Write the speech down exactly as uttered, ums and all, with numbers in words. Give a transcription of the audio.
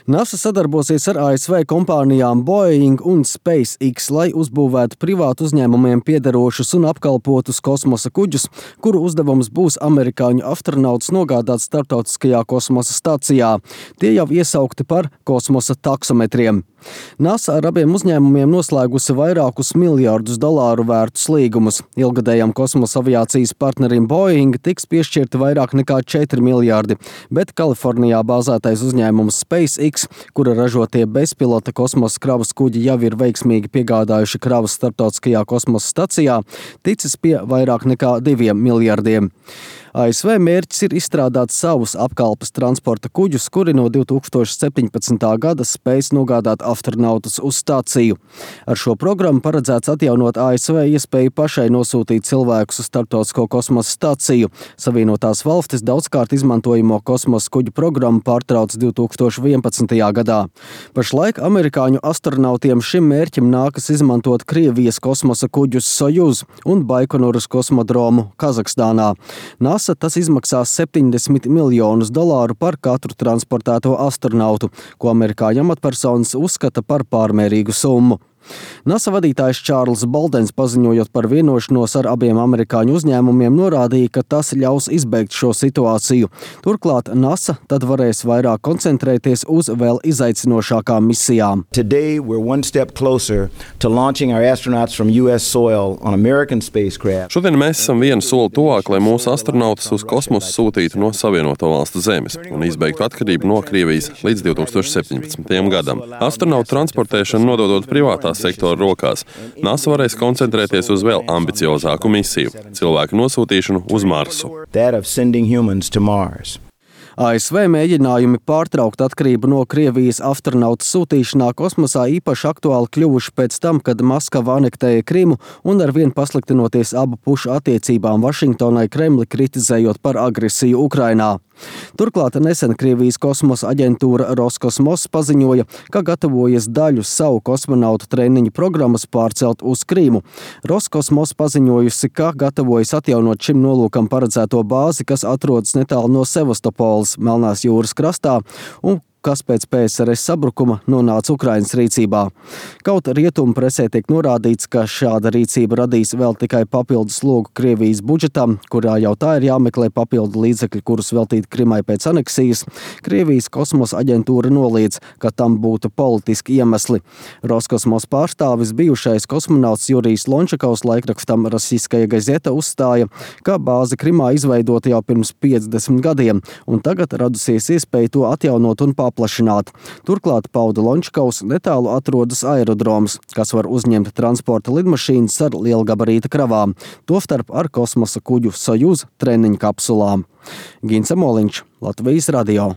NASA sadarbosies ar A S V kompānijām Boeing un SpaceX, lai uzbūvētu privātu uzņēmumiem piederošus un apkalpotus kosmosa kuģus, kuru uzdevums būs amerikāņu astronautus nogādāt starptautiskajā kosmosa stacijā. Tie jau iesaukti par kosmosa taksometriem. NASA ar abiem uzņēmumiem noslēgusi vairākus miljardus dolāru vērtus līgumus. Ilgadējam kosmosa aviācijas partnerim Boeing tiks piešķirti vairāk nekā četri miljardi, bet Kalifornijā bāzētais uzņēmums SpaceX, kura ražotie bezpilota kosmosa kravas kuģi jau ir veiksmīgi piegādājuši kravas starptautiskajā kosmosa stacijā, ticis pie vairāk nekā diviem miljardiem. A S V mērķis ir izstrādāt savus apkalpes transporta kuģus, kuri no divi tūkstoši septiņpadsmitā gada spēs nogādāt astronautus uz stāciju. Ar šo programmu paredzēts atjaunot A S V iespēju pašai nosūtīt cilvēkus uz starptautisko kosmosa stāciju. Savienotās valstis daudzkārt izmantojamo kosmosa kuģu programmu pārtrauc divi tūkstoši vienpadsmitajā gadā. Pašlaik amerikāņu astronautiem šim mērķim nākas izmantot Krievijas kosmosa kuģus Sojuz un Baikonuras kosmodromu Kazahstānā. NASA tas izmaksās septiņdesmit miljonus dolāru par katru transportēto astronautu, ko amerikāņu amatpersonas uzskata par pārmērīgu summu. NASA vadītājs Čārls Boldens, paziņojot par vienošanos ar abiem amerikāņu uzņēmumiem, norādīja, ka tas ļaus izbeigt šo situāciju. Turklāt NASA tad varēs vairāk koncentrēties uz vēl izaicinošākām misijām. Today we're one step closer to launching our astronauts from U S soil on American spacecraft. Šodien mēs esam vienu soli tuvāk, lai mūsu astronautus uz kosmosu sūtītu no Savienoto Valstu zemes un izbeigtu atkarību no Krievijas līdz divi tūkstoši septiņpadsmitajam gadam. Astronautu transportēšanu nododot privātā sektora rokās, NASA varēs koncentrēties uz vēl ambiciozāku misiju – cilvēku nosūtīšanu uz Marsu. A S V mēģinājumi pārtraukt atkarību no Krievijas astronautu sūtīšanā kosmosā īpaši aktuāli kļuvuši pēc tam, kad Maskava anektēja Krimu un arvien pasliktinoties abu pušu attiecībām Vašingtonai Kremli kritizējot par agresiju Ukrainā. Turklāt nesen Krievijas kosmosa aģentūra Roskosmos paziņoja, ka gatavojas daļu savu kosmonautu treniņu programmas pārcelt uz Krīmu. Roskosmos paziņojusi, ka gatavojas atjaunot šim nolūkam paredzēto bāzi, kas atrodas netālu no Sevastopoles, Melnās jūras krastā, un kas pēc P S R S sabrukuma nonāca Ukrainas rīcībā. Kaut rietumu presē tiek norādīts, ka šāda rīcība radīs vēl tikai papildus slogu Krievijas budžetam, kurā jau tā ir jāmeklē papildu līdzekļi, kurus veltīt Krimai pēc aneksijas. Krievijas kosmosa aģentūra noliedz, ka tam būtu politiski iemesli. Roskosmos pārstāvis bijušais kosmonauts Jurijs Lončakovs laikrakstam Rossiskaja gazeta uzstāja, ka bāze Krimā izveidota jau pirms piecdesmit gadiem, un tagad radusies iespēja to atjaunot un paplašināt. Turklāt pauda Lončakovs netālu atrodas aerodroms, kas var uzņemt transporta lidmašīnas ar lielgabarīta kravām, tostarp ar kosmosa kuģu Sojuz treniņu kapsulām. Gins Amoliņš, Latvijas radio.